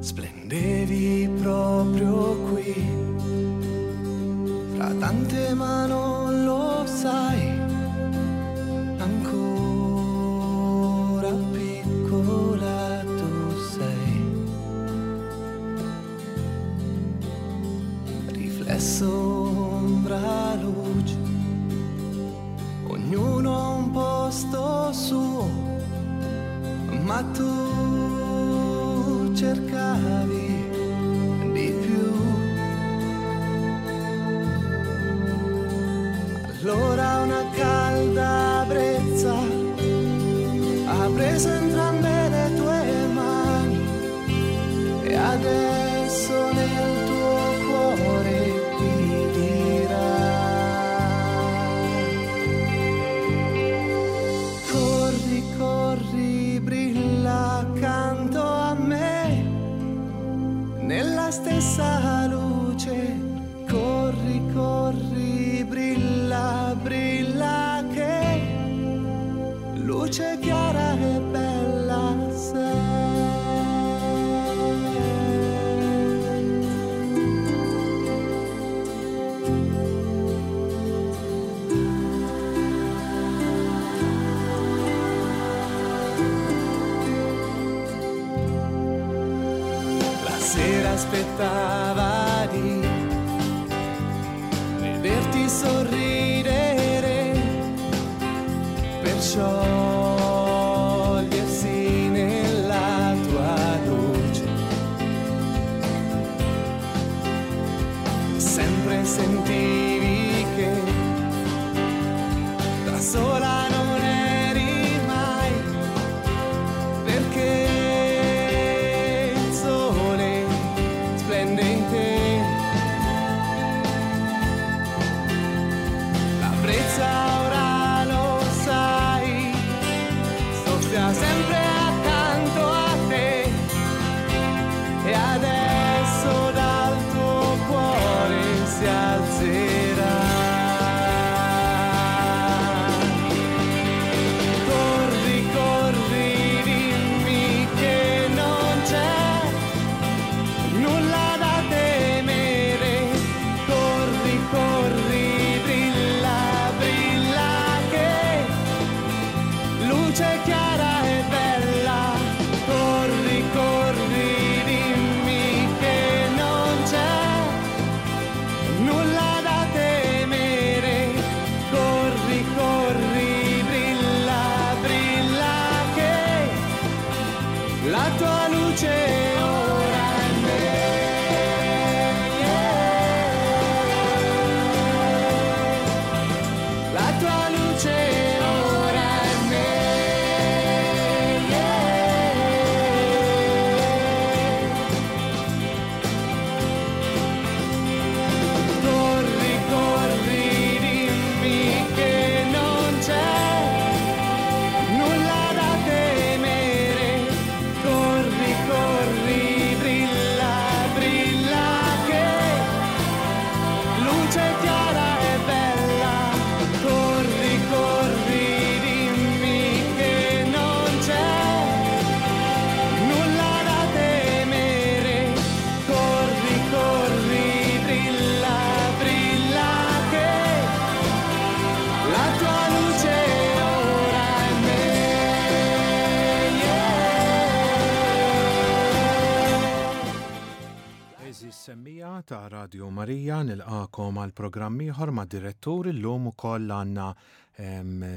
Splendevi proprio qui, fra tante ma non lo sai, ancora piccola tu sei. Riflesso, ombra, luce, ognuno ha un posto suo, ma tu cercavi di più. Allora una calda brezza ha preso entrambe le tue mani e adesso nel tuo cuore ti dirà. Corri, corri, brilla accanto a me, nella stessa luce. Corri, corri, brilla, brilla che luce chiara e bella sei. La sera aspettava di vederti sorridere per sciogliersi nella tua luce. Sempre sentivi che da sola non eri mai, perché il sole splende in te. La brezza ora lo sai, soffia sempre accanto a te e adesso dal tuo cuore si alzerà. Corri, corri, dimmi che non c'è nulla da temere. Corri, corri, brilla, brilla che luce chiara e bella. Corri, corri, dimmi che non c'è nulla da temere. Corri, corri, brilla, brilla che la tua luce ora è me. La tua luce ora è me. Corri, corri, dimmi che non c'è nulla da temere. Corri, corri, brilla, brilla che luce chiara e bella. Corri, corri, dimmi che non c'è nulla da temere. Corri, corri, brilla, brilla che la tua luce ora è me. Għeżież semmiegħa ta' Radio Marija nilqakom għal programm ieħor ma' direttur illum ukoll għandna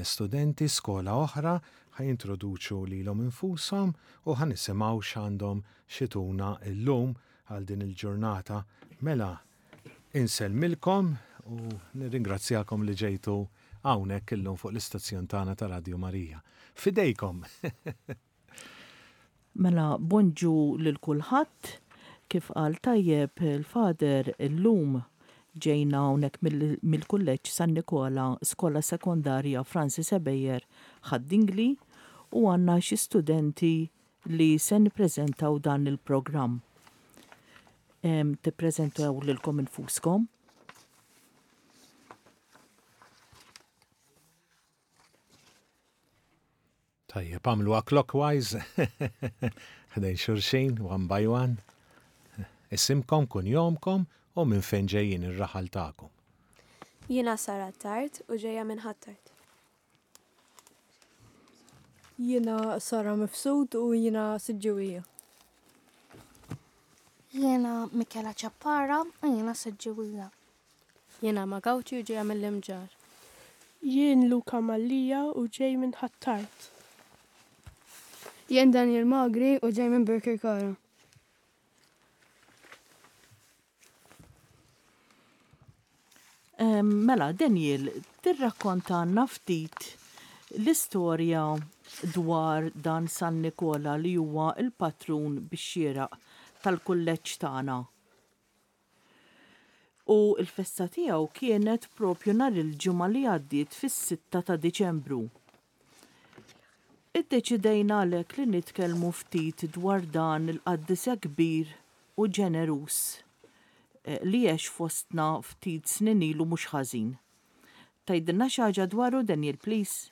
studenti skola oħra ħa jintroduċu lilhom infushom u ħa nisimgħu x'għandhom x'ituna llum għal din il-ġurnata. Mela insellmilkom u nirringrazzjakom li ġejtu hawnhekk illum fuq l-istazzjon tagħna ta' Radio Marija. F'idejkom! Mela bonġu lil kulħadd, kif qal tajjeb il-Father illum ġejna hawnhekk mill-Kulleġġ San Nikola Skola Sekondarja Francis Ebejer Ħad-Dingli u għandna xi studenti li se nippreżentaw dan il-programm. Tippreżentaw lilkom infuskom. Tajjeb, għamluha clockwise, ħdejn xulxin, one by one. Isimkom, kunjomkom u minn fejn ġejjin ir-raħal tagħkom. Jiena Sara Attard u ġejja minn Ħ'Attard. Jiena Sara Mifsud u jiena Siġġiwija. Jiena Michela Ciappara u jiena Siġġiwija. Jiena Ma Gauci u ġejja mill-Imġarr. Jien Luca Mallia u ġej minn Ħ'Attard. Jien Daniel Magri u ġej minn Birkirkara. Mela, Daniel, tirrakkontalna ftit l-istorja dwar dan San Nikola li huwa l-patrun bix-xieraq tal-kulleġġ tagħna. U l-festa tiegħu kienet propju nhar il-Ġimgħa li għaddiet fis-sitta ta' Diċembru. Iddeċidejna għalhekk li nitkellmu ftit dwar dan il-qaddis hekk kbir u ġeneruż li għex fostna ftit snin ilu mhux ħażin. Tgħidilna xi ħaġa dwaru Daniel please?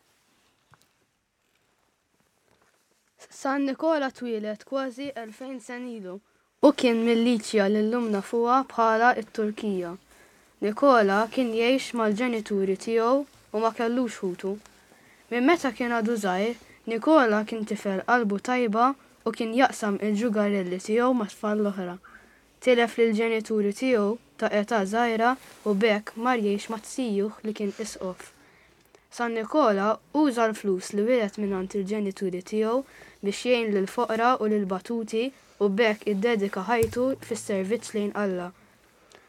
San Nikola twieled kważi 2000 sena ilu. Hu kien mil-Liċja li llum nafuha bħala t-Turkija. Nikola kien jgħix mal-ġenituri tiegħu u ma kellux ħutu. Minn meta kien għadu żgħir, Nikola kien tifel qalbu tajba u kien jaqsam il-ġugarelli tiegħu mat-tfal l-oħra. Tilef lill-ġenituri tiegħu ta' età żgħira u b'hekk mar jgħix ma' zijuh li kien isqof. San Nikola uża l-flus li wiret mingħand il-ġenituri tiegħu biex jgħin lill-foqra u lill-batuti u b'hekk iddedika ħajtu fis-servizz lejn Alla.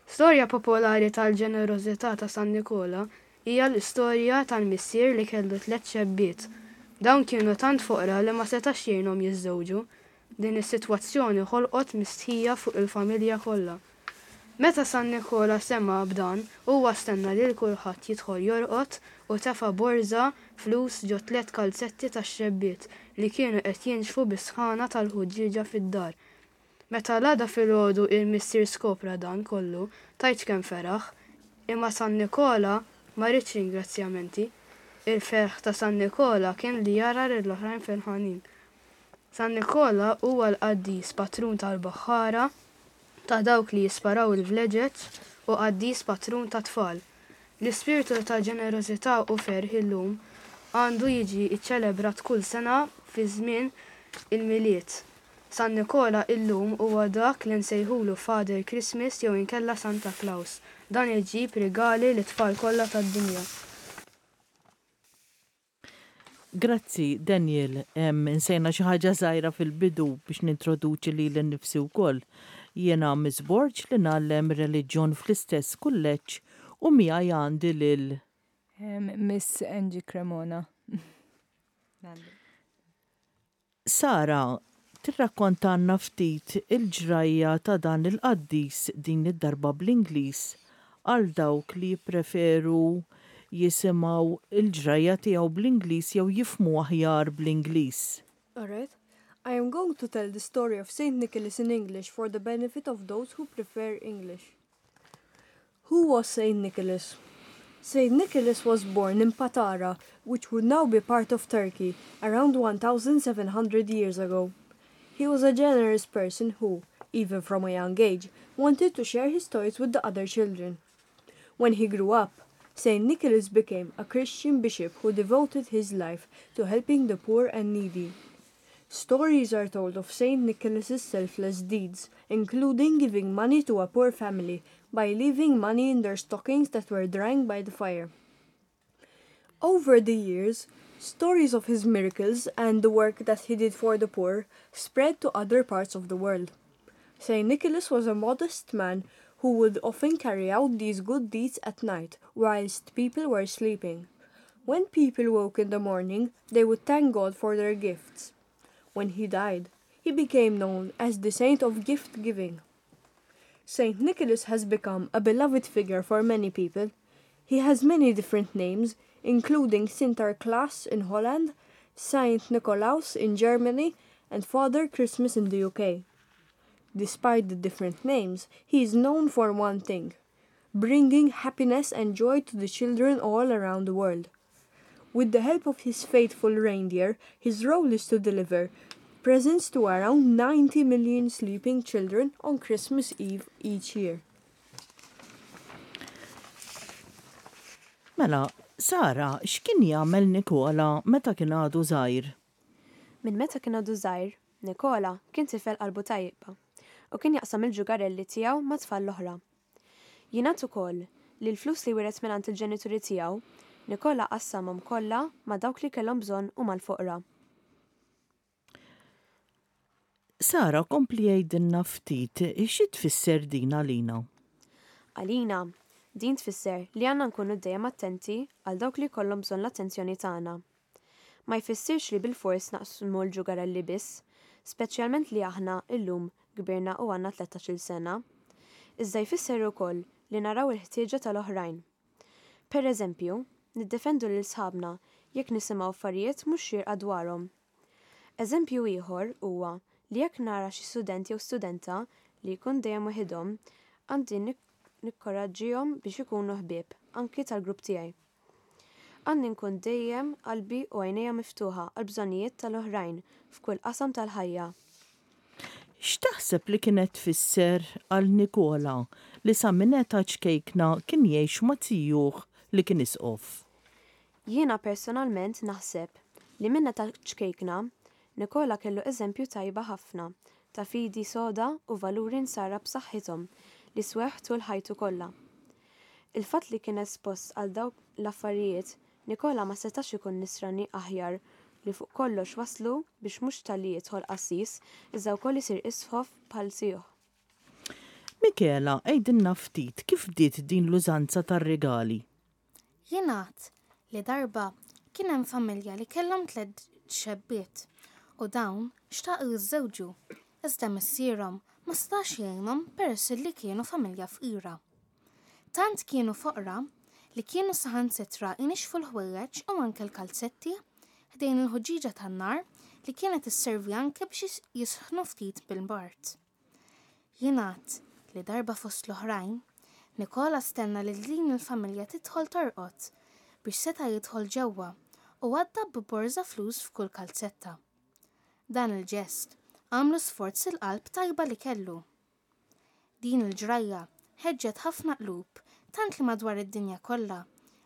Storja popolari tal-ġenerożità ta' San Nikola hija l-istorja tal-missier li kellu tlett xebbiet. Dawn kienu tant foqra li ma setax jgħinhom jiżżewġu. Din is-sitwazzjoni ħolqot mistħija fuq il-familja kollha. Meta San Nikola sema' b'dan, huwa stenna lil kulħadd jidħol jorqod u tefa' borża flus ġo tlett kalzetti tax-xebbiet li kienu qed jinxfu bis-sħana tal-ħuġġieġa fid-dar. Meta l-għada filgħodu il-missier skopra dan kollu, tgħidx kemm feraħ. Imma San Nikola ma riedx ringrazzjamenti. Il-ferħ ta' San Nikola kien li jara lill-oħrajn ferħanin. San Nikola huwa l-qaddis patrun tal-baħħara, ta' dawk li jisparaw il-vleġeġ u qaddis patrun tat-tfal. L-ispirtu ta' ġenerożità u ferħ illum għandu jiġi ċċelebrat kull sena fi żmien il-Milied. San Nikola illum huwa dak li nsejħulu Father Christmas jew inkella Santa Claus. Dan iġib rigali lit-tfal kollha tad-dinja. Grazzi, Daniel. Insejna xi ħaġa żgħira fil-bidu biex nintroduċi lili nnifsi wkoll. Jiena Miss Borg li ngħallem reliġjon fl-istess kulleġġ u miegħi għandi lil. Miss Angie Cremona. Sara, tirrakkontalna ftit il-ġrajja ta' dan il-qaddis din id-darba bl-Ingliż għal dawk li jippreferu jisimgħu l-ġrajja tiegħu bl-Ingliż jew jifhmu aħjar bl-Ingliż. Alright. I am going to tell the story of Saint Nicholas in English for the benefit of those who prefer English. Who was Saint Nicholas? Saint Nicholas was born in Patara, which would now be part of Turkey, around 1700 years ago. He was a generous person who, even from a young age, wanted to share his toys with the other children. When he grew up, St. Nicholas became a Christian bishop who devoted his life to helping the poor and needy. Stories are told of St. Nicholas's selfless deeds, including giving money to a poor family by leaving money in their stockings that were drying by the fire. Over the years, stories of his miracles and the work that he did for the poor spread to other parts of the world. St. Nicholas was a modest man who would often carry out these good deeds at night whilst people were sleeping. When people woke in the morning, they would thank God for their gifts. When he died, he became known as the saint of gift giving. St. Nicholas has become a beloved figure for many people. He has many different names, including Sinterklaas in Holland, Saint Nikolaus in Germany, and Father Christmas in the UK. Despite the different names, he is known for one thing bringing happiness and joy to the children all around the world. With the help of his faithful reindeer, his role is to deliver presents to around 90 million sleeping children on Christmas Eve each year. Mela, Sara, x'kien jagħmel Nikola meta kien għadu żgħir? Minn meta kien għadu żgħir, Nikola kien tifel qalbu tajba u kien jaqsam il-ġugarelli tiegħu mat-tfal l-oħra. Jingħad ukoll li l-flus li wiret mingħand il-ġenituri tiegħu, Nikola qassamhom kollha ma' dawk li kellhom bżonn u mal-foqra. Sara, kompli għidilna ftit xi tfisser din għalina? Għalina, din tfisser li għandna nkunu dejjem attenti għal dawk li jkollhom bżonn l-attenzjoni tagħna. Ma jfissirx li bilfors naqsmu l-ġugarelli biss, speċjalment li aħna illum kbirna u għandna tlettax-il sena. Iżda jfisser ukoll li naraw il-ħtieġa tal-oħrajn. Per eżempju, niddefendu lil sħabna jekk nisimgħu affarijiet mhux xierqa dwarhom. Eżempju ieħor huwa li jekk nara xi student jew studenta li jkun dejjem weħidhom, għandi nikkoraġġihom biex ikunu ħbieb, anki tal-grupp tiegħi. Għandi nkun dejjem qalbi u għajnejja miftuħa għall-bżonnijiet tal-oħrajn f'kull qasam tal-ħajja. X'taħseb li kienet tfisser għal Nikola li sa minn età ċkejkna kien jgħix ma' zijuh li kien isqof? Jiena personalment naħseb li minn età ċkejkna, Nikola kellu eżempju tajba ħafna ta' fidi soda u valuri nsara b'saħħithom li swewh tul ħajtu kollha. Il-fatt li kien espost għal dawk l-affarijiet, Nikola ma setax ikun nisrani aħjar li fuq kollox wasslu biex mhux talli jidħol qassis iżda wkoll isir isqof bħal zijuh. Michela, għidilna ftit kif bdiet din l-użanza tar-rigali? Jingħad li darba kien hemm familja li kellhom tlett xebbiet u dawn xtaqu jiżżewġu iżda missierhom ma setax jgħinhom peress li kienu familja fqira. Tant kienu foqra li kienu saħansitra jnixxfu l-ħwejjeġ u anke l-kalzetti ħdejn il-ħuġġieġa tan-nar li kienet isservi anke biex jisħnu ftit bil-bard. Jingħad li darba fost l-oħrajn, Nikola stenna lil din il-familja tidħol torqod biex seta' jidħol ġewwa u għadda b'borża flus f'kull kalzetta. Dan il-ġest għamlu sforz il-qalb tajba li kellu. Din il-ġrajja ħeġġet ħafna qlub tant li madwar id-dinja kollha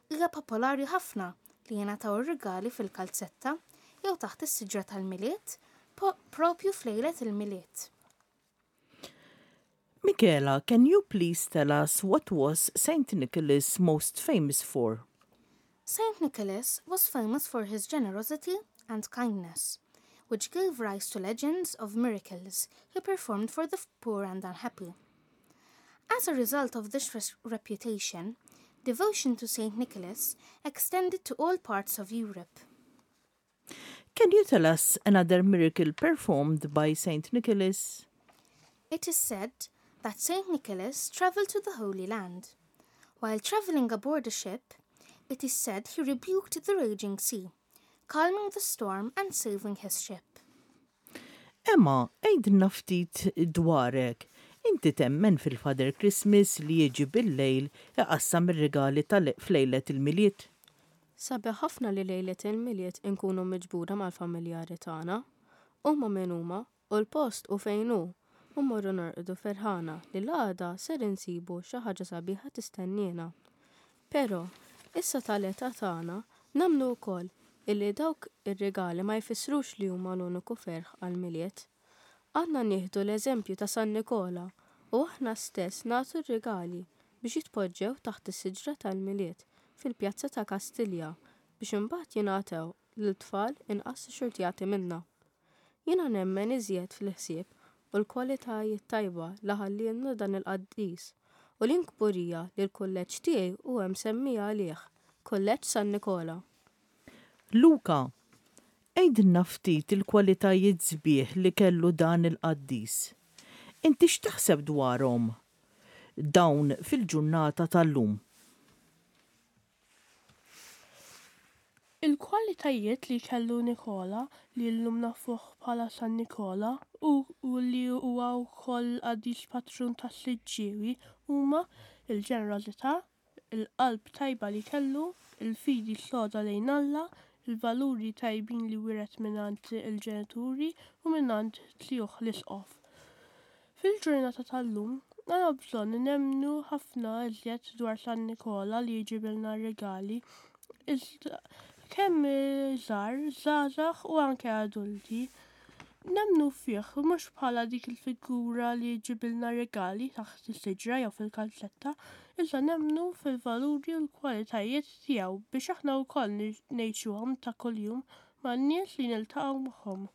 hija popolari ħafna li jingħataw ir-rigali fil-kalzetta jew taħt is-siġra tal-Milied propju f'lejlet il-Milied. Michela, can you please tell us what was Saint Nicholas most famous for? Saint Nicholas was famous for his generosity and kindness, which gave rise to legends of miracles he performed for the poor and unhappy. As a result of this reputation, devotion to Saint Nicholas extended to all parts of Europe. Can you tell us another miracle performed by Saint Nicholas? It is said that Saint Nicholas traveled to the Holy Land. While traveling aboard a ship, it is said he rebuked the raging sea, calming the storm and saving his ship. Emma, għidilna ftit dwarek. Inti temmen fil-Father Christmas li jiġi bil-lejl iqassam ir-rigali f'lejlet il-Milied? Sabiħ ħafna li lejlet il-Milied inkunu miġbura mal-familjari tagħna, huma min huma u l-post hu fejn hu, u mmorru norqdu ferħana li l-għada ser insibu xi ħaġa sabiħa tistenniena. Però, issa tal-età tagħna, nemmnu wkoll illi dawk ir-rigali ma jfissrux li huma l-uniku ferħ għall-Milied. Għandna nieħdu l-eżempju ta' San Nikola u aħna stess nagħtu r-rigali biex jitpoġġew taħt is-siġra tal-Milied fil-pjazza ta' Kastilja biex imbagħad jingħatew lil tfal inqas xxurtjati minna. Jiena nemmen iżjed fil-ħsieb u l-kwalitajiet tajba li ħallielna dan il-qaddis u li kburija li l-kulleġġ tiegħi huwa msemmi għalih, Kulleġġ San Nikola. Luca, għidilna ftit il-kwalitajiet sbieħ li kellu dan il-qaddis. Inti x'taħseb dwarhom dawn fil-ġurnata tal-lum? Il-kwalitajiet li kellu Nikola, li llum nafuh bħala San Nikola u li huwa wkoll il-qaddis patrun tas-Siġġiewi huma l-ġenerożità, il-qalb tajba li kellu, il-fidi soda lejn Alla, il-valuri tajbin li wiret mingħand il-ġenituri u mingħand zijuh l-isqof. Fil-ġurnata tal-lum, għandna bżonn nemmnu ħafna iżjed dwar San Nikola li jġibilna r-rigali, iżda kemm żgħar, żgħażagħ u anke adulti. Nemmnu fih mhux bħala dik il-figura li ġġibilna rigali taħt is-siġra jew fil-kalzetta, iżda nemmnu fil-valuri u l-kwalitajiet tiegħu biex aħna wkoll ngħixuhom ta' kuljum man-nies li niltaqgħu magħhom.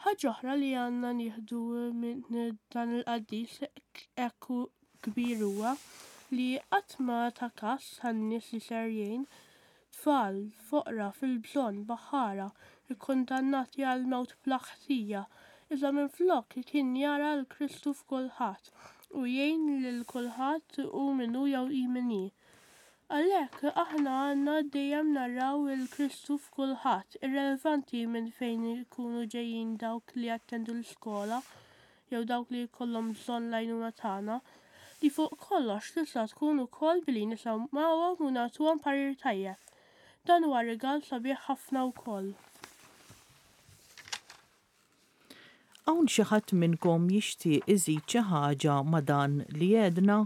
Ħaġa oħra li għandna nieħdu minn dan il-qaddis hekk kbir huwa li qatt ma ta kas tan-nies li ser jgħin, tfal, foqra, fil-bżonn, baħħara, ikkundannati għall-mewt bla ħtija, iżda minflok kien jara 'l Kristu f'kulħadd u jgħin lil kulħadd hu min hu jew hi min hi. Għalhekk aħna għandna dejjem naraw 'il Kristu f'kulħadd, irrelevanti minn fejn ikunu ġejjin dawk li jattendu l-iskola jew dawk li jkollhom bżonn l-għajnuna tagħna, li fuq kollox tista' tkun ukoll billi nisimgħuhom u nagħtuhom parir tajjeb. Dan huwa rigal sabiħ ħafna wkoll. Hawn xi ħadd minnkom jixtieq iżid xi ħaġa ma' dan li għedna?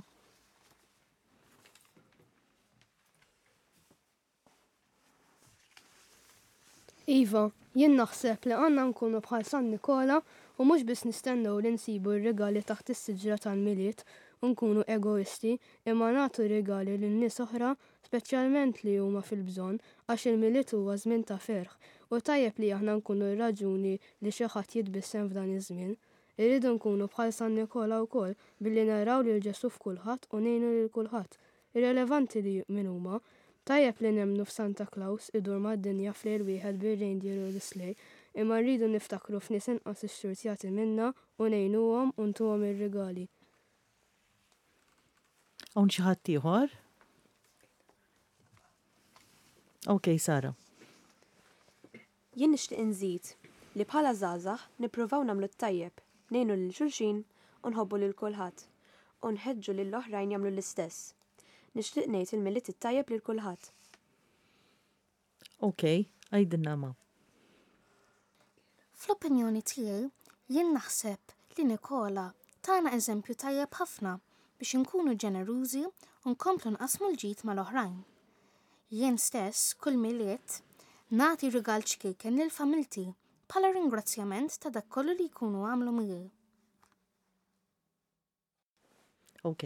Iva, jien naħseb li għandna nkunu bħal San Nikola u mhux biss nistennew li nsibu r-rigali taħt is-siġra tal-Milied u nkunu egoisti imma nagħtu rigali lil nies oħra speċjalment li huma fil-bżonn għax il-Milied huwa żmien ta' ferħ u tajjeb li aħna nkunu r-raġuni li xi ħadd jitbissem f'dan iż-żmien. Irridu nkunu bħal San Nikola wkoll billi naraw lil Ġesù f'kulħadd u ngħinu lil kulħadd Irrelevanti li min huma. Tajjeb li nemmnu f'Santa Klaws idur mad-dinja f'lejl wieħed bir-reindeer u l-sleigh, imma rridu niftakru f'nies inqas ixxurtjati minna u ngħinuhom u ntuhom ir-rigali. Hawn xi ħadd ieħor? Ok, Sara. Jien nixtieq inżid li bħala żgħażagħ nippruvaw nagħmlu t-tajjeb, ngħinu lil xulxin u nħobbu lil kulħadd, u nħeġġu lil oħrajn jagħmlu l-istess. Nixtieq ngħid il-Milied it-tajjeb lil kulħadd. Ok, għidilna ma. Fl-opinjoni tiegħi, jien naħseb li Nikola tana eżempju tajjeb ħafna biex inkunu ġenerużi u nkomplu nqassmu l-ġid mal-oħrajn. Jien stess, kull Milied, nagħti rigal ċkejken lil familti bħala ringrazzjament ta' dak kollu li jkunu għamlu miegħi. Ok.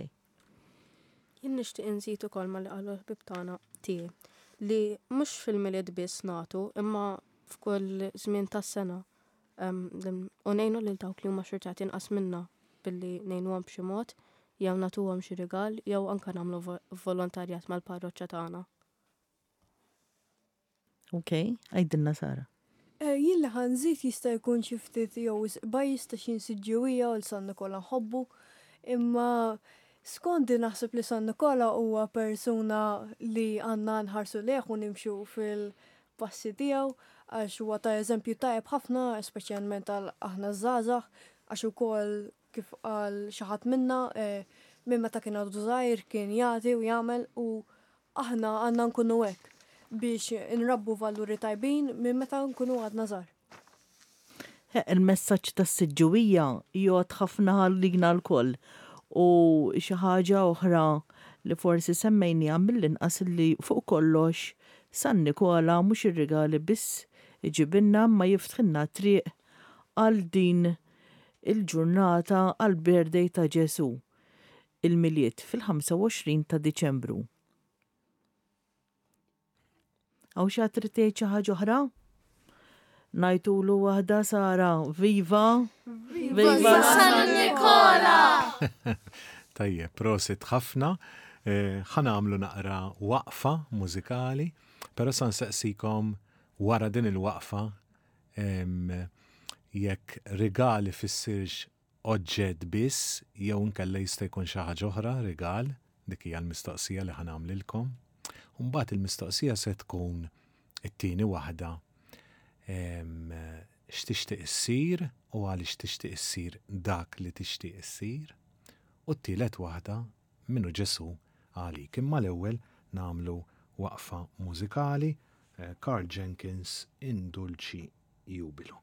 Jien nixtieq inżid ukoll ma li qalu l-ħbieb tagħna tiegħi li mhux fil-Milied biss nagħtu imma f'kull żmien tas-sena u ngħinu lil dawk li huma xurtati inqas minna billi ngħinuhom b'xi mod jew nagħtuhom xi rigal jew anke nagħmlu volontarjat mal-parroċċa tagħna. Ok, għidilna Sara. Eh, jien li ħa nżid jista' jkun xi ftit jew wisq biased għax jien Siġġiewija u l-San Nikola nħobbu, imma skondi naħseb li San Nikola huwa persuna li għandna nħarsu lejh u nimxu fil-passi tiegħu għax huwa ta' eżempju tajjeb ħafna, speċjalment għal aħna żgħażagħ, għax ukoll kif qal xi ħadd minna, minn meta kien għadu żgħir kien jagħti u jagħmel u aħna għandna nkunu hekk biex inrabbu valuri tajbin minn meta nkunu għadna żgħar. Il-messaġġ tas-Siġġiwija jgħodd ħafna għalina lkoll u xi ħaġa oħra li forsi semmejniha mill-inqas li fuq kollox San Nikola mhux ir-rigali biss iġibilna imma jiftħilna t-triq għal din il-ġurnata għall-birthday ta' Ġesù, il-Milied fil-25 ta' Diċembru. Hawn xi ħadd trid tgħid xi ħaġa oħra? Ngħidulu waħda Sara, viva! Viva San Nikola! Tajjeb, prosit ħafna. Eh, ħa nagħmlu naqra waqfa mużikali, però sa nsaqsikom wara din il-waqfa Jekk rigal ifissirx oġġett biss jew inkella jista' jkun xi ħaġa oħra rigal, dik hija l-mistoqsija li ħa nagħmlilkom. U mbagħad il-mistoqsija se tkun it-tieni waħda x'tixtieq issir u għaliex tixtieq issir dak li tixtieq issir. U t-tielet waħda min hu Ġesù għalik. Imma l-ewwel nagħmlu waqfa mużikali. Karl Jenkins In Dulci Jubilo.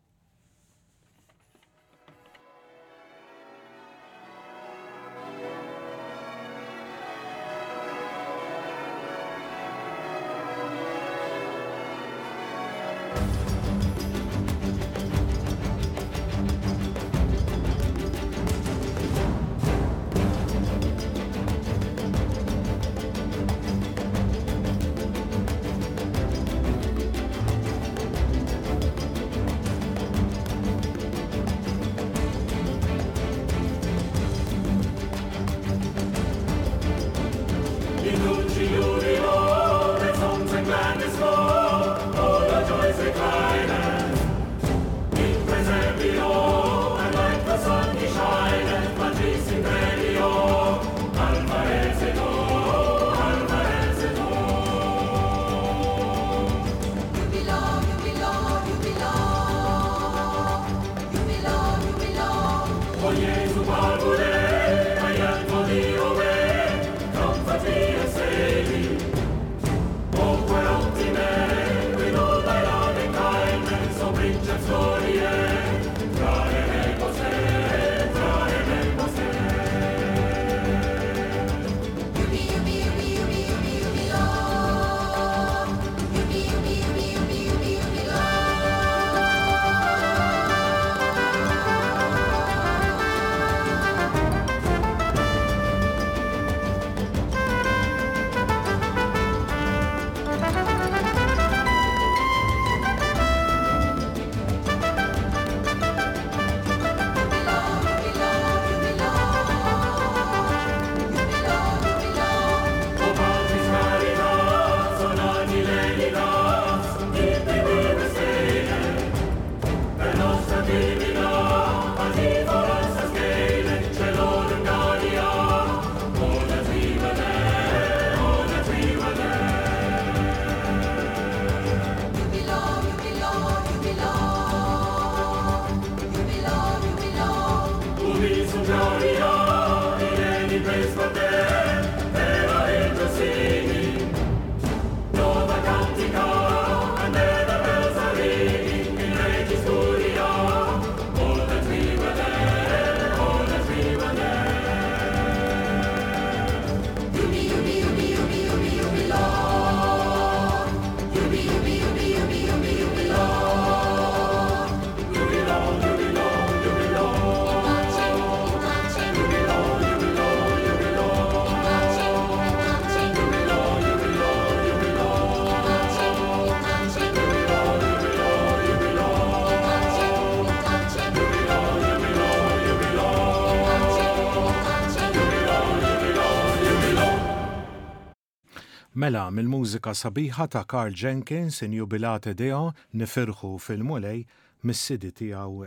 Mela, mill-mużika sabiħa ta' Karl Jenkins, In Jubilate Deo, nifirħu fil-Mulej, mis-CD tiegħu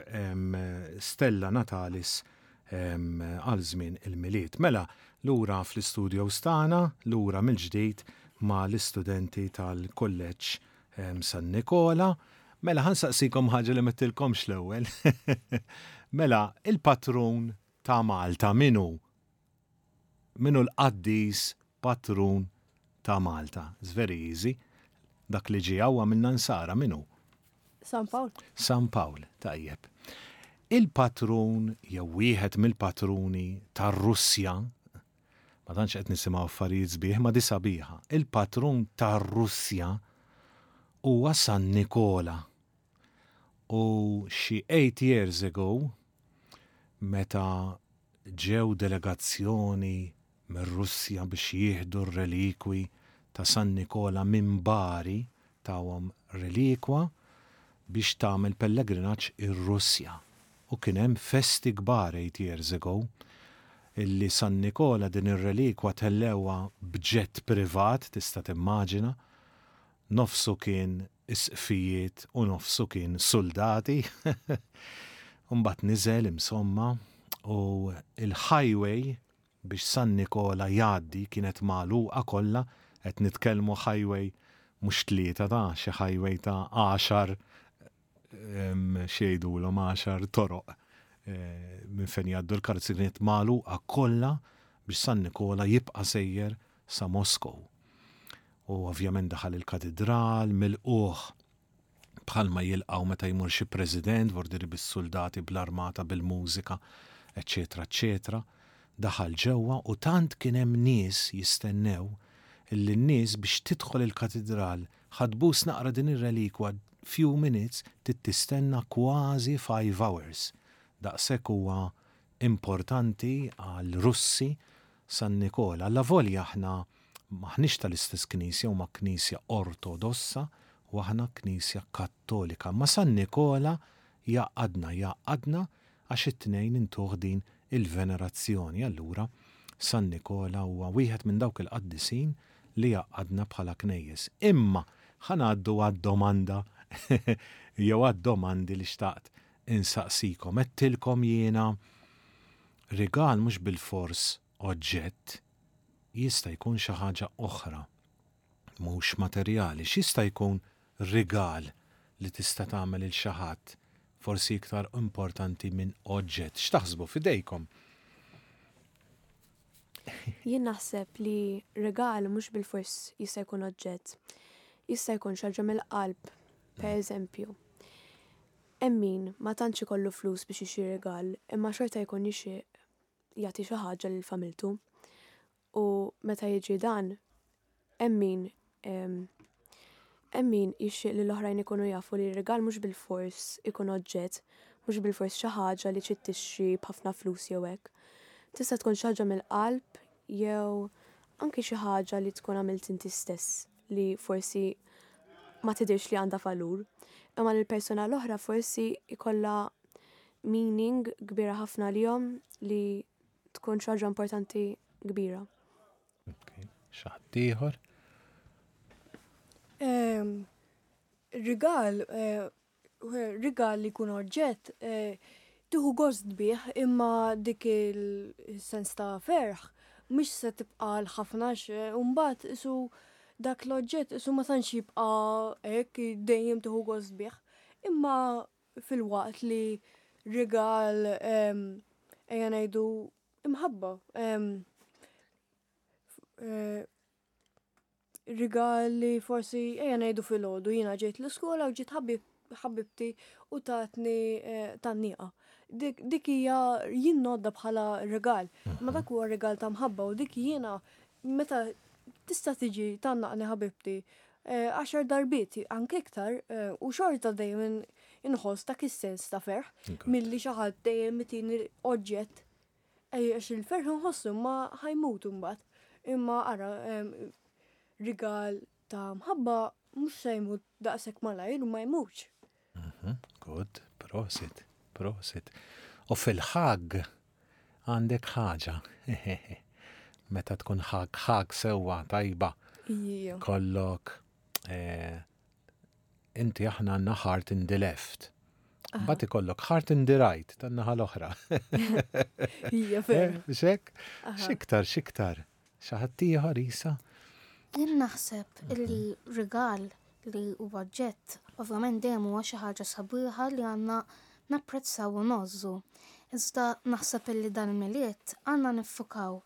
Stella Natalis għal żmien il-Milied. Mela, lura fl-istudios tagħna, lura mill-ġdid ma' l-istudenti tal-Kulleġġ San Nikola. Mela, ħa nsaqsikom ħaġa li m'għedtilkomx l-ewwel. Mela, il-patrun ta' Malta min hu? Min hu l-qaddis patrun ta' Malta? It's very easy. Dak li ġie hawn għamilna nsara, min hu? San Pawl. San Pawl, tajjeb. Il-patrun jew wieħed mill-patruni tar-Russja, ma tantx qed nisimgħu affarijiet sbieħ, ma di sabiħa. Il-patrun tar-Russja huwa San Nikola. U xi 8 years ago, meta ġew delegazzjoni mir-Russja biex jieħdu r-relikwi ta' San Nikola minn Bari, tawhom relikwa biex tagħmel pellegrinaġġ ir-Russja. U kien hemm festi kbar 8 years ago illi San Nikola din ir-relikwa tellewha b'ġett privat, tista' timmaġina, nofsu kien isqfijiet u nofsu kien suldati. U mbagħad niżel imsomma u l-highway biex San Nikola jgħaddi kienet magħluqa kollha, qed nitkellmu highway mhux tlieta ta' xi highway ta' għaxar xi jgħidulhom għaxar toroq minn fejn jgħaddu l-karozzi kienet magħluqa kollha biex San Nikola jibqa' sejjer sa Moskow. U ovvjament daħal il-katidral, milqugħ bħalma jilqgħu meta jmur xi president, vordiri bis-suldati, bl-armata, bil-mużika, eċċetera, eċċetera. Daħal ġewwa u tant kien hemm nies jistennew illi n-nies biex tidħol il-katidral ħa tbus naqra din ir-relikwa few minutes trid tistenna kważi five hours. Daqshekk huwa importanti għall-Russi San Nikola. Allavolja aħna m'aħniex tal-istess knisja, huma knisja Ortodossa u aħna knisja Kattolika. Imma San Nikola jgħaqqadna, jgħaqqadna għax it-tnejn intuh din il-venerazzjoni. Allura San Nikola huwa wieħed minn dawk il-qaddisin li jgħaqqadna bħala knejjes. Imma ħa ngħaddu għad-domanda jew għad-domandi li xtaqt insaqsikom. Għedtilkom jiena rigal mhux bilfors oġġett, jista' jkun xi ħaġa oħra, mhux materjali. X'jista' jkun rigal li tista' tagħmel lil xi ħadd forsi iktar importanti minn oġġett? X'taħsbu f'idejkom? Jien naħseb li rigal mhux bilfors jista' jkun oġġett. Jista' jkun xi ħaġa mill-qalb, per eżempju. Hemm min ma tantx ikollu flus biex jixtri rigal imma xorta jkun jixtieq jagħti xi ħaġa lil familtu. U meta jiġri dan, hemm min hemm min jixtieq li l-oħrajn ikunu jafu li r-rigal mhux bilfors ikun oġġett, mhux bilfors xi ħaġa li trid tixtri b'ħafna flus jew hekk. Tista' tkun xi ħaġa mill-qalb jew anki xi ħaġa li tkun għamilt inti stess. li forsi ma tidhirx li għandha valur, imma li l-persuna l-oħra forsi jkollha meaning kbira ħafna għalihom li tkun xi ħaġa importanti kbira. Xi ħadd ieħor? Ehm, rigal, eh, rigal li jkun oġġett, tieħu gost bih imma dik il-sens ta' ferħ mhix se tibqa' għal ħafna għax imbagħad isu dak l-oġġett isu ma tantx jibqa' hekk dejjem tieħu gost bih. Imma filwaqt li rigal ejja ngħidu imħabba. Rigal li forsi ejja ngħidu filgħodu jiena ġejt l-iskola u ġiet ħabibti u tatni eh, tanniqa. Dik hija jien nodda bħala rigal, ma dak huwa rigal ta' mħabba u dik jiena meta tista' tiġi tannaqni ħabibti eh, għaxar darbiet anke iktar eh, u xorta dejjem inħoss dak is-sens ta' ferħ milli xi ħadd dejjem itini oġġett Għax il-ferħ nħossu ma ħajmut imbagħad. Imma ara rigal ta' mħabba mhux se jmut daqshekk malajr u ma jmutx. Mhm, good, prosit, prosit. U fil-ħag għandek ħaġa. Meta tkun ħag ħag sewwa tajba. Kollok eh, Inti aħna għandna heart in the left. Mbagħad ikollok heart in the right tan-naħa l-oħra. Hija veru. Eh, xek? Xiktar, xiktar. Xi ħadd ieħor isa? Jien naħseb li rigal li huwa ġett, ovvjament dejjem huwa xi ħaġa sabiħa li għandna napprezzaw u ngħożżu. Iżda naħseb illi dal-Milied għandna niffukaw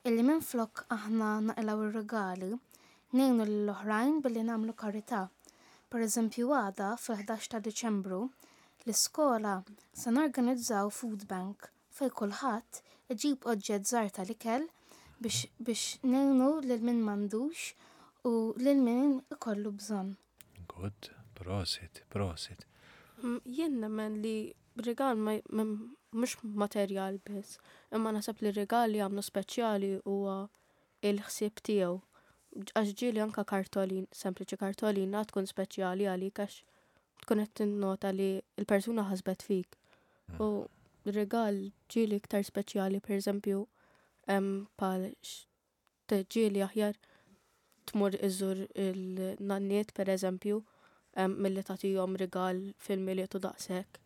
illi minflok aħna naqilgħu r-rigali, Ngħinu lill-oħrajn billi nagħmlu karità. Pereżempju għada, fil-ħdax ta' Diċembru, l-iskola se norganizzaw food bank fejn kulħadd iġib oġġett żgħar tal-ikel biex biex ngħinu lil min m'għandux u lil min ikollu bżonn. Good, prosit, prosit. Jien nemmen li rigal ma mhux materjal biss, imma naħseb li rigal li jagħmlu speċjali huwa il-ħsieb tiegħu. Għax ġieli anka kartolin, sempliċi kartolina tkun speċjali għalik għax tkun qed tinnota li l-persuna ħasbet fik. Mm. U rigal ġieli iktar speċjali, per eżempju, pal ġieli aħjar tmur iżur il-nanniet per eżempju, milli tagħtihom rigal fil-Milied u daqshekk.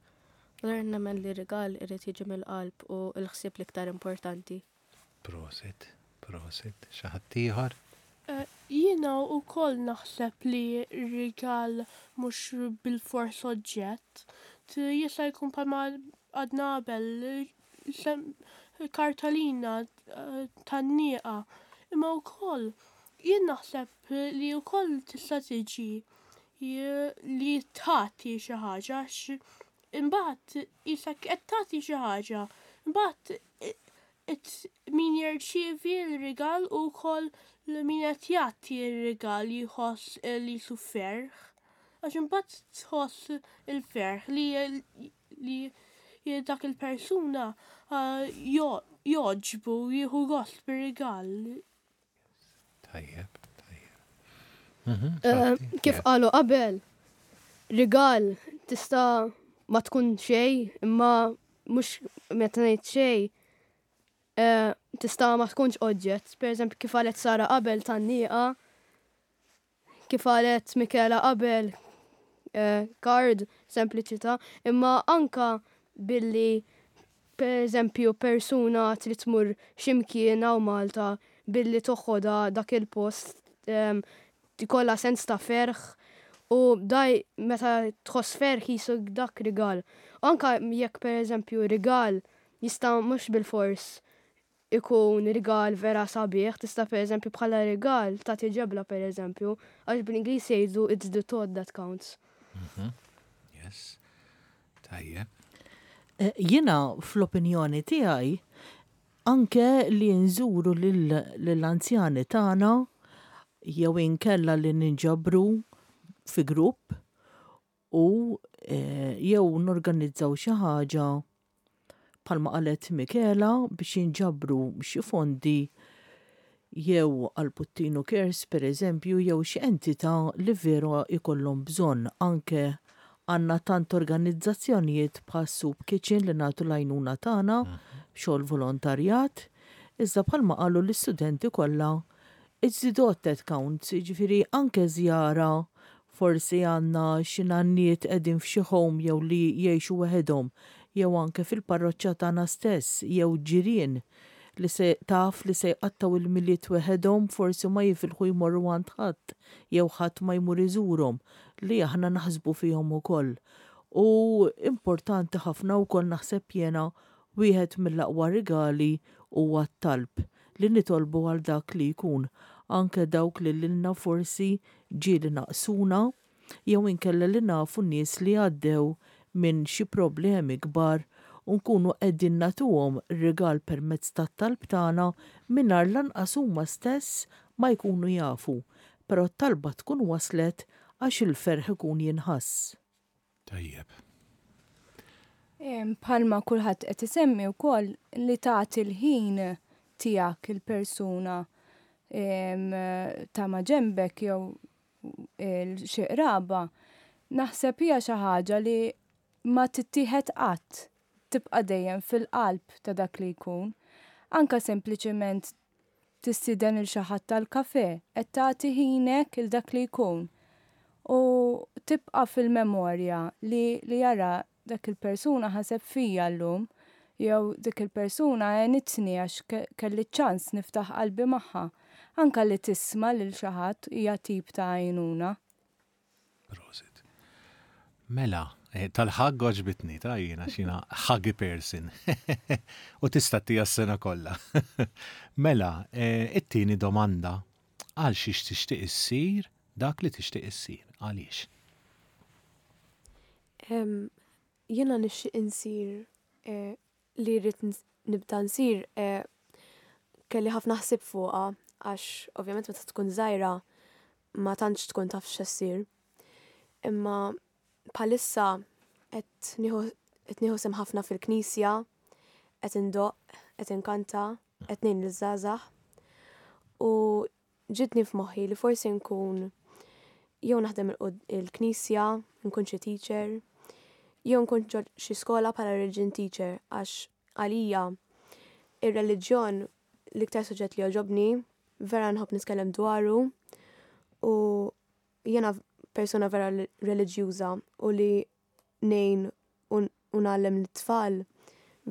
Allura nemmen li rigal irid jiġi mill-qalb u l-ħsieb l-iktar importanti. Prosit, prosit. Xi ħadd ieħor? Eh, jiena wkoll naħseb li rigal mhux bilfors oġġett. Jista' jkun bħalma għadna qabel kartolina eh, tan-nieqa. Imma wkoll Jien naħseb li wkoll tista' tiġi li tagħti xi ħaġa għax imbagħad qisek qed tagħti xi ħaġa. Imbagħad min jirċievi l-rigal u wkoll min qed jagħti r-rigal jħoss li jisu ferħ. Għax imbagħad tħoss il-ferħ li li dak il-persuna jogħġbu jieħu gost bir-rigal. Tajjeb, tajjeb. Mhm, eh, kif qalu qabel, rigal tista' ma tkun xej, imma mhux meta ngħid xej, eh, tista' ma tkunx oġġett. Per eżempju, kif qalet Sara qabel tan-nieqa, Kif qalet Michela qabel, card, sempliċità, imma anka billi per eżempju persuna trid tmur xi mkien hawn Malta billi toħodha dak il-post ikollha sens ta' ferħ u daj meta tħoss ferħ qisu dak rigal. U anka jekk per eżempju rigal jista' mhux bilfors ikun rigal vera sabiħ, tista' pereżempju bħala rigal tagħti ġebla pereżempju, għax bl-Ingliż jgħidu it's the thought that counts. Mhm. Yes. Tajjeb. Eh, jiena fl-opinjoni tiegħi anke li nżuru lill-anzjani tagħna jew inkella li ninġabru fi grupp u eh, jew norganizzaw xi ħaġa bħalma qalet Michela biex jinġabru xi fondi jew għal Puttinu Cares per eżempju jew xi entità li veru jkollhom bżonn anke għandna tant organizzazzjonijiet bħal Soup Kitchen li nagħtu l-għajnuna tagħna b'xogħol volontarjat, iżda bħalma qalu l-istudenti kollha It's the dot that counts, jiġifieri anke żjara forsi għandna xi nanniet qegħdin f'xi home jew li jgħixu weħidhom jew anke fil-parroċċa tagħna stess jew ġirien li se taf li se jqattgħu il-Milied weħedhom forsi ma jifilħu jmorru għand ħadd jew ħadd ma jmur iżurhom li aħna naħsbu fihom ukoll. U importanti ħafna wkoll naħseb jiena wieħed mill-aqwa rigali huwa t-talb li nitolbu għal dak li jkun, anke dawk li lilna forsi ġieli naqsuna jew inkella li nafu nies li għaddew minn xi problemi kbar u nkunu qegħdin nagħtuhom rigal permezz tat-talb tagħna mingħajr lanqas huma stess ma jkunu jafu, però t-talba tkun waslet għax il-ferħ ikun jinħass. Tajjeb. Bħalma kulħadd qed isemmi wkoll li tagħti l-ħin tiegħek il-persuna ta' maġenbek jew xi qraba, naħseb hija xi ħaġa li ma tittieħed qatt, tibqa' dejjem fil-qalb ta' dak li jkun. Anke sempliċement tistieden lil xi ħadd għall-kafè, qed tagħti ħinek 'il dak li jkun. U tibqa' fil-memorja li li ara dak il-persuna ħaseb fija llum jew dik il-persuna għenitni għax kelli ċ-ċans niftaħ qalbi magħha. Anke li tisma' lil xi ħadd hija tip ta' għajnuna. Prosit. Mela, eh, tal-ħagg għoġbitni, ta' jiena xina ħaggy person. U tista' tija s-sena kollha. Mela, eh, it-tieni domanda, għal xiex tixtieq issir dak li tixtieq issir, għaliex? Jiena nixtieq insir eh, li rrid nibda nsir kelli ħafna ħsieb fuqha għax ovvjament meta tkun żgħira ma tantx tkun taf x'se ssir. Imma bħalissa qed nieħu qed nieħu sehem ħafna fil-knisja, qed indoqq, qed inkanta, qed ngħin liż-żgħażagħ. U ġietni f'moħħi li forsi nkun jew naħdem il-knisja, nkun xi teacher, jew nkun ġo xi skola bħala religion teacher għax għalija ir-reliġjon l-iktar suġġett li jogħġobni, vera nħobb nitkellem dwaru u jiena persuna vera reliġjuża u li ngħin u ngħallem lit-tfal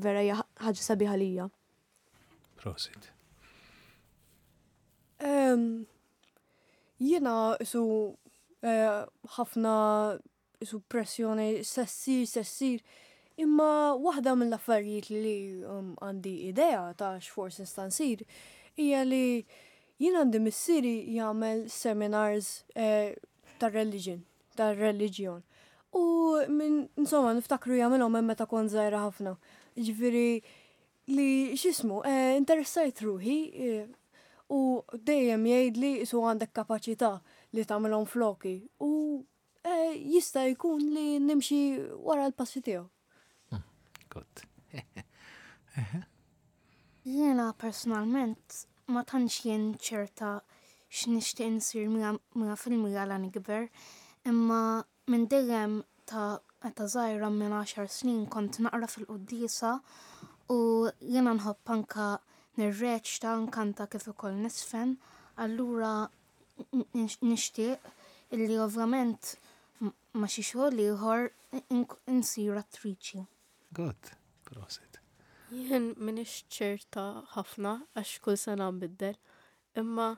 vera hija ħaġa sabiħa lija. Prosit. Jiena isu eh, ħafna isu pressjoni sessir, sessir, imma waħda mill-affarijiet li um, għandi idea ta' x'forsi nista' nsir hija li Jien għandi missieri jagħmel seminars eh, tar-religion, tar-reliġjon. U minn insomma niftakru jagħmilhom hemm meta kont żgħira ħafna. Ġifieri li x'ismu, eh, interessajt ruħi eh, u dejjem jgħidli isu għandek kapaċità li tagħmilhom floki u eh, jista' jkun li nimxi wara l-passi tiegħu. Good. Jiena personalment ma tantx jien ċerta x'nixtieq insir 100% la nikber, imma minn dejjem ta' meta żgħira minn għaxar snin kont naqra fil-quddiesa u jiena nħobb anka nirreċta, nkanta kif ukoll nisfen, allura nixtieq illi ovvjament ma' xi xogħol ieħor insir attriċi. Good, prosit. Jien m'iniex ċerta ħafna għax kull sena nbiddel, imma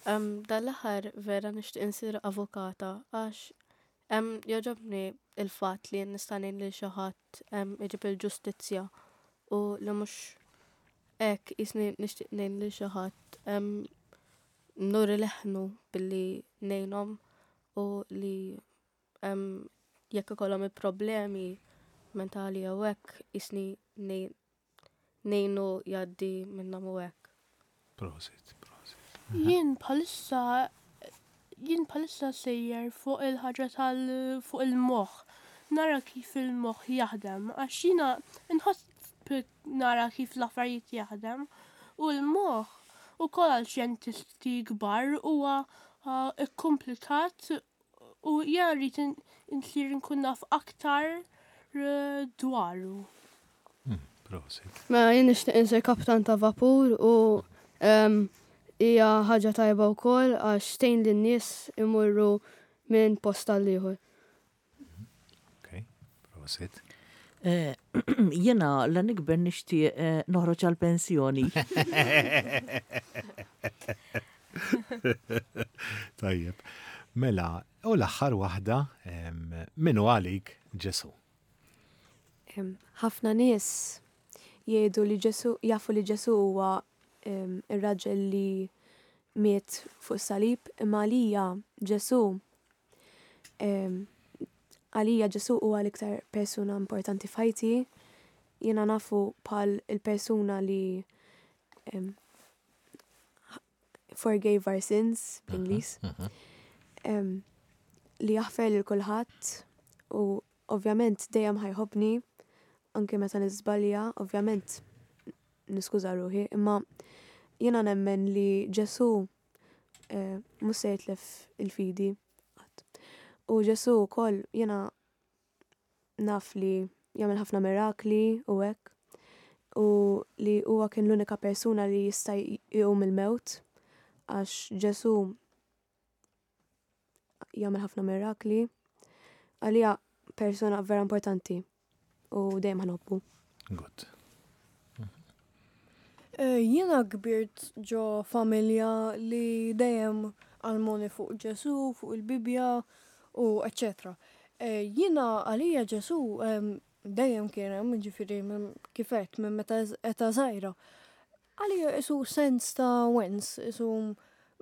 dan l-aħħar vera nixtieq insir avukata għax jogħġobni l-fatt li nista' ngħin lil xi ħadd iġib il-ġustizzja u li mhux hekk qisni nixtieq ngħin lil xi ħadd nuri leħnu billi ngħinhom u li jekk ikollhom il-problemi mentali jew hekk jisni ngħinu jgħaddi minnhom u hekk. Prosit, prosit. Jien bħalissa jien bħalissa sejjer fuq il-ħaġa tal fuq il-moħħ. Nara kif il-moħħ jaħdem għax jiena nħoss nara kif l-affarijiet jaħdem u l-moħħ ukoll għal xjentisti kbar huwa kkumplikat U jiena rrid insir nkun naf aktar dwaru. Prosit. Mela jien nixtieq insir kaptan ta' vapur u hija ħaġa tajba wkoll għax tgħin lin-nies imorru minn post għal ieħor. Ok, prosit. Eh, Jena la nikber nixtieq eh, noħroġ għal pensjoni. Tajjeb. Mela, u l-aħħar waħda minnu għalik Ġesu. Ħafna nies jgħidu li Ġesu jafu li Ġesu huwa ir-raġel li miet fuq salib imma għalija Ġesu Għalija Ġesù huwa l-iktar persuna importanti f'ħajti. Jiena nafu bħal il-persuna li forgave our sins bl-Ingliż. Li jaħfer lil kulħadd u ovvjament dejjem ħajħobni anke meta niżbalja, ovvjament niskuża ruħi, imma jiena nemmen li Ġesù eh, mhux se jitlef il-fidi qatt. U Ġesù wkoll jiena naf li jagħmel ħafna mirakli u hekk u li huwa kien l-unika persuna li jista' jqum il-mewt għax Ġesù jagħmel ħafna mirakli. Għalija persuna vera importanti u dejjem ħanobbu. Good. Eh, jiena kbirt ġo familja li dejjem għalmuni fuq Ġesu, fuq il-Bibja u eccetera. Eh, jiena għalija Ġesu dejjem kien hemm, ġifieri kif għedt minn meta eta żgħira. Għalija isu sens ta' wens, isu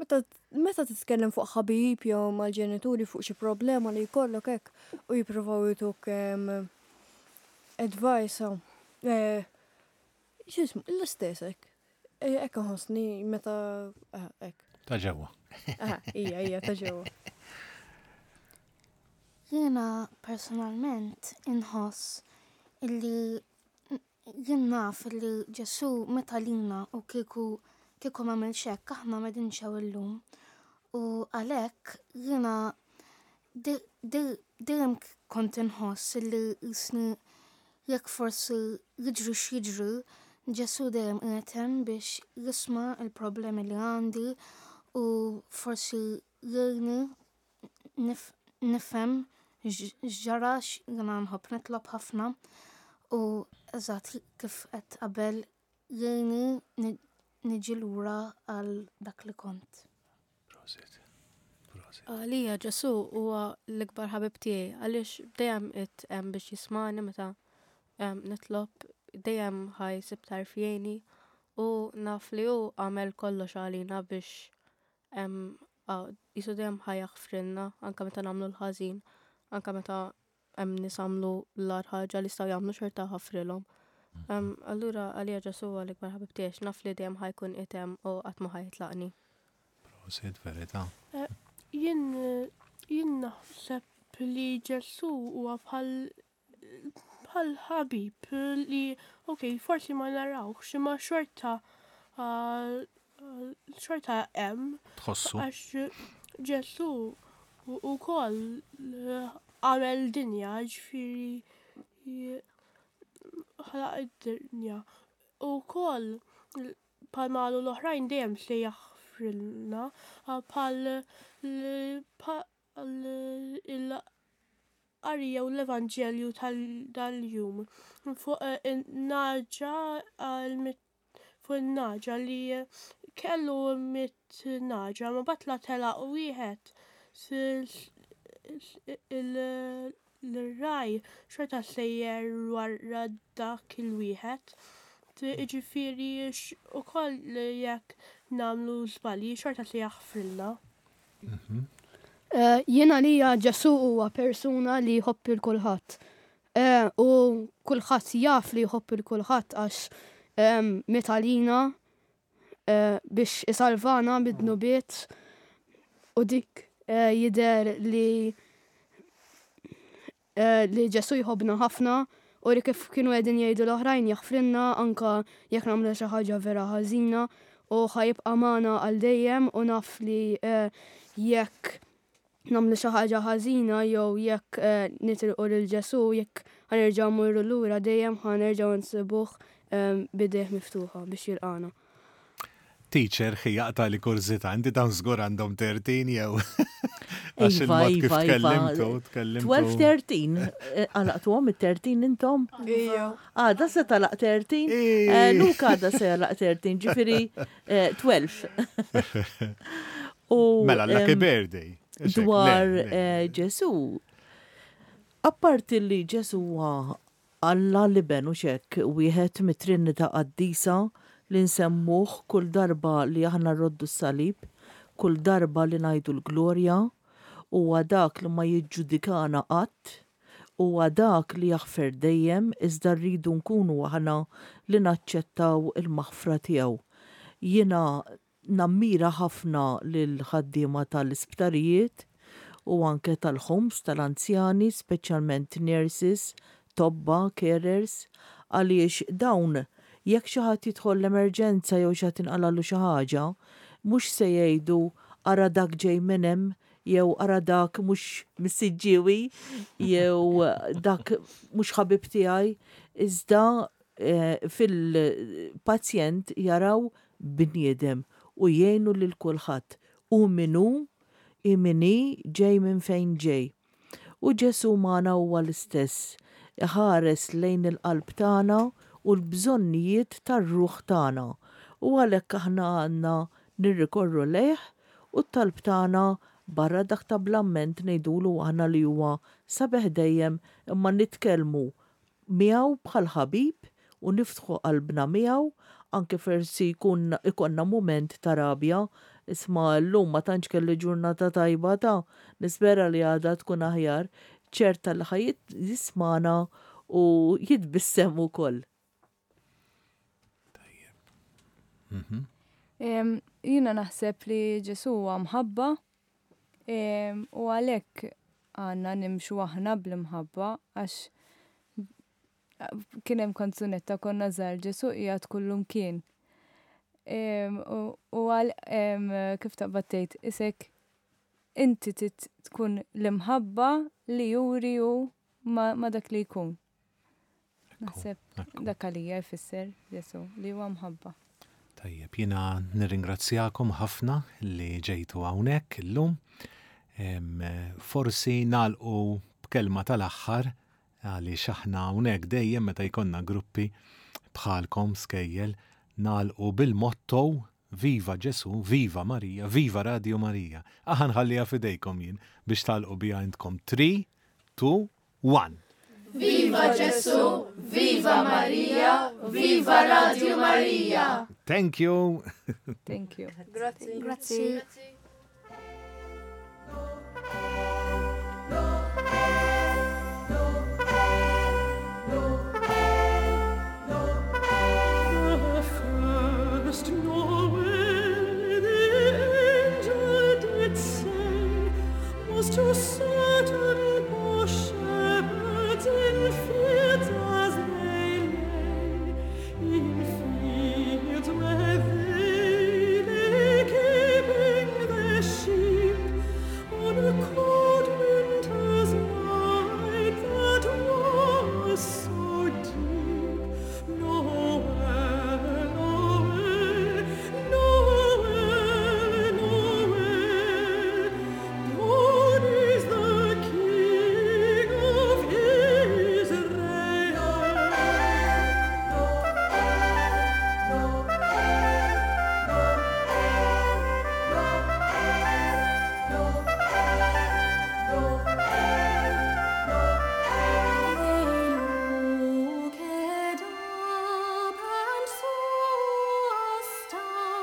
meta meta titkellem fuq ħabib jew mal-ġenituri fuq xi problema li jkollok hekk u jippruvaw jtuk advice, eh, x'ismu, l-istess hekk. Eh, hekk inħossni meta eh, hekk. Ta' ġewwa. Ija, ija, ta' ġewwa. Jiena personalment inħoss illi Jien naf li Ġesù miet għalina u kieku kieku m'għamilx hekk aħna m'qegħdinx hawn illum. U għalhekk jiena dejjem kont inħoss li jisni jekk forsi jiġri x'jiġri, Ġesù dejjem qiegħed hemm biex jisma' l-problemi li għandi u forsi jgħinni nifhem x'ġara jiena nħobb nitlob ħafna u eżatt kif qed qabel jgħinni niġi lura għal dak li kont. Prosit. Prosit. Għalija Ġesu huwa l-ikbar ħabib tiegħi għaliex dejjem qed hemm biex jismani meta nitlob dejjem ħa jsib tarf jgħinni u naf li hu għamel kollox għalina biex. Qisu dejjem ħa jaħfrilna anke meta nagħmlu l-ħażin, anke meta hemm nies għamlu l-agħar ħaġa li jistgħu jagħmlu xorta ħafrilhom. Allura għalija Ġesù huwa l-ikbar ħabib tiegħi għax naf li dejjem ħa jkun qiegħed hemm u qatt ma ħa jitlaqni. Prosit, verità. Eh, jien jien naħseb li Ġesù huwa bħal bħal ħabib li ok, forsi ma narawx imma xorta xorta hemm. Tħossu. Għax Ġesù ukoll għamel dinja, ġifieri ħalaq id-dinja. U wkoll bħalma qalu l-oħrajn dejjem se jaħfrilna bħal il-qari jew l-Evanġelju tal-jum fuq in-nagħġa fuq in-nagħġa li kellu mit nagħġa ma batla telaq wieħed l-raj xorta sejjer wara dak il-wieħed. Jiġifieri ukoll jekk nagħmlu żbalji xorta se jaħfrilna. Mhm. Eh, jien għalija Ġesu huwa persuna li jħobb il kulħadd. Eh, u kulħadd jaf li jħobb il kulħadd għax ehm, miet għalina eh, biex isalvana mid-dnubiet u dik jidher li li Ġesù jħobbna ħafna u li kif kienu qegħdin jgħidu l-oħrajn jaħfrilna anke jekk nagħmlu xi ħaġa vera ħażina u ħa jibqa' magħna għal dejjem u naf li jekk nagħmlu xi ħaġa ħażina jew jekk nitilqu lil Ġesù jekk ħa nerġgħu mmorru lura dejjem ħa nerġgħu nsibuh b'idejh miftuħa biex jilqagħna. Teacher, ħi jaqta' li kurżità, inti dawn żgur għandhom 13 jew? Għax Iva, il-mod kif iva, iva. tkellimtu, tkellimtu. 12, 13, eh, għalaqtuhom it-13 intom? Ija. Għada se talaq 13? Eh, Luka għada se jalaq 13, ġifiri eh, 12. U, Mela, lucky em, birthday. Ixek, le, Dwar le. eh, Ġesu, apparti li Ġesu huwa Alla l-Iben hux hekk, wieħed mit-Trinità Qaddisa li nsemmuh kull darba li aħna rroddu s-salib, kull darba li ngħidu l-Glorja, huwa dak li ma jiġġudikana qatt, huwa dak li jaħfer dejjem iżda rridu nkunu aħna li naċċettaw il-maħfra tiegħu. Jiena Nammira ħafna lill-ħaddiema tal-isptarijiet u anke tal-homes tal-anzjani, speċjalment nurses, tobba, carers, għaliex dawn jekk xi ħadd jidħol l-emerġenza jew xi ħadd inqalagħlu xi ħaġa, mhux se jgħidu ara dak ġej minn hemm jew ara dak mhux mis-Siġġiewi jew dak mhux ħabib tiegħi, iżda fil-pazjent jaraw bniedem u jgħinu lil kulħadd, hu min hu, hi min hi, ġej minn fejn ġej. U Ġesù magħna huwa l-istess, iħares lejn il-qalb tagħna u l-bżonnijiet tar-ruħ tagħna, u għalhekk aħna għandna nirrikorru lejh u t-talb tagħna barra dak ta' bl-amment ngħidulu aħna li huwa sabiħ dejjem imma nitkellmu miegħu bħal ħabib u niftħu qalbna miegħu anke forsi jkun ikollna mument ta' rabja, isma' llum ma tantx kelli ġurnata tajba ta' nispera li għada tkun aħjar, ċerta li ħa jismagħna u jitbissem ukoll. Tajjeb. Mhm. Jiena naħseb li Ġesù huwa mħabba u għalhekk għandna nimxu aħna bl-imħabba għax kien hemm kanzunetta konna żgħar Ġesù qiegħed kullumkien. U għal kif taqbad tgħid isek inti trid tkun l-imħabba li juri hu ma' dak li jkun. Naħseb dak għalija jfisser Ġesù li huwa mħabba. Tajjeb, jiena nirringrazzjakom ħafna li ġejtu hawnhekk illum. Forsi nagħlqu b'kelma tal-aħħar għaliex aħna hawnhekk dejjem meta jkollna gruppi bħalkom skejjel nagħlqu bil-motto Viva Ġesù, Viva Marija, Viva Radio Marija. Aħa nħalliha f'idejkom jien biex tagħlqu biha intkom. 3, 2, 1. Viva Ġesù, Viva Marija, Viva Radio Marija! Thank you! Thank you. Grazzi. Grazzi. The first Noel the angel did say was to certain poor shepherds in fields as they lay, in fields where they lay keeping their sheep on a cold winter's night that was so deep. Noel, Noel, Noel, Noel, God is the King of Israel. They looked up and saw a star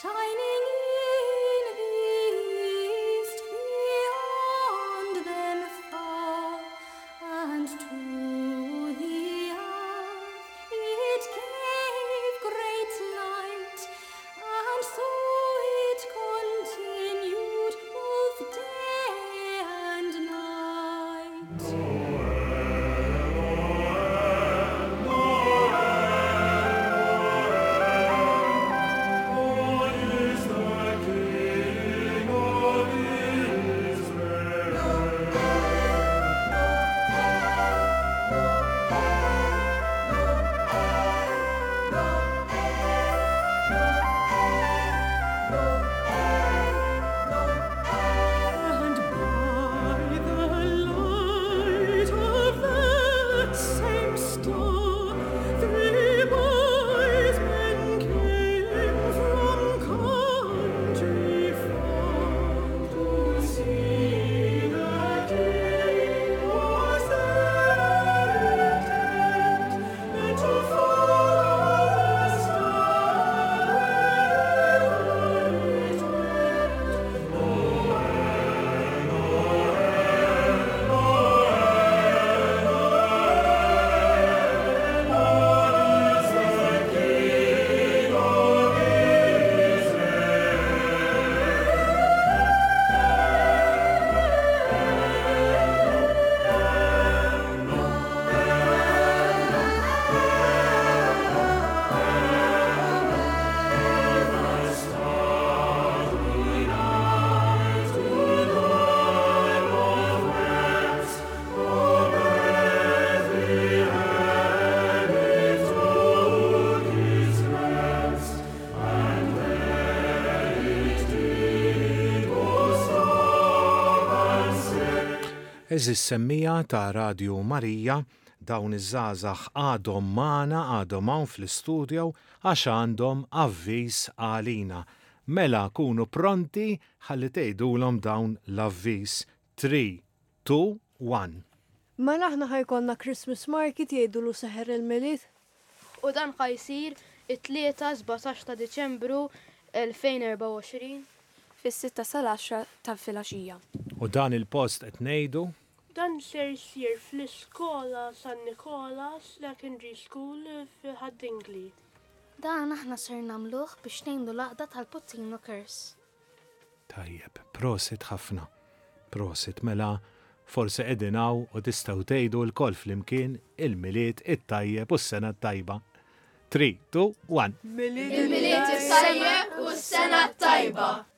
shining in the east beyond them far, and to the earth it gave great light, and so it continued both day and night. God is the King of Israel. And by the light of that same star, three wise men came from country far to see the King was their intent, and to follow the star wherever it went. Għeżież semmiegħa ta' Radju Marija, dawn iż-żgħażagħ għadhom magħna, għadhom hawn fl-istudio għax għandhom avviż għalina. Mela kunu pronti ħalli tgħidulhom dawn l-avviż. 3, 2, 1. Mela aħna ħa jkollna Christmas Market jgħidulu Seħer il-Milied. U dan ħa jsir it-Tlieta 17 ta' Diċembru 2024. Fis-sitta sal-għaxra ta' filgħaxija. U dan il-post qed ngħidu? Dan ser jsir fl-iskola San Nikola Secondary School f'Ħad-Dingli. Dan aħna ser nagħmluh biex ngħinu l-għaqda tal-Puttinu Cares. Tajjeb, prosit ħafna. Prosit, mela forsi qegħdin hawn u tistgħu tgħidu lkoll flimkien il-Milied it-tajjeb u s-sena t-tajba. 3, 2, 1. Il-Milied it-tajjeb u s-sena t-tajba!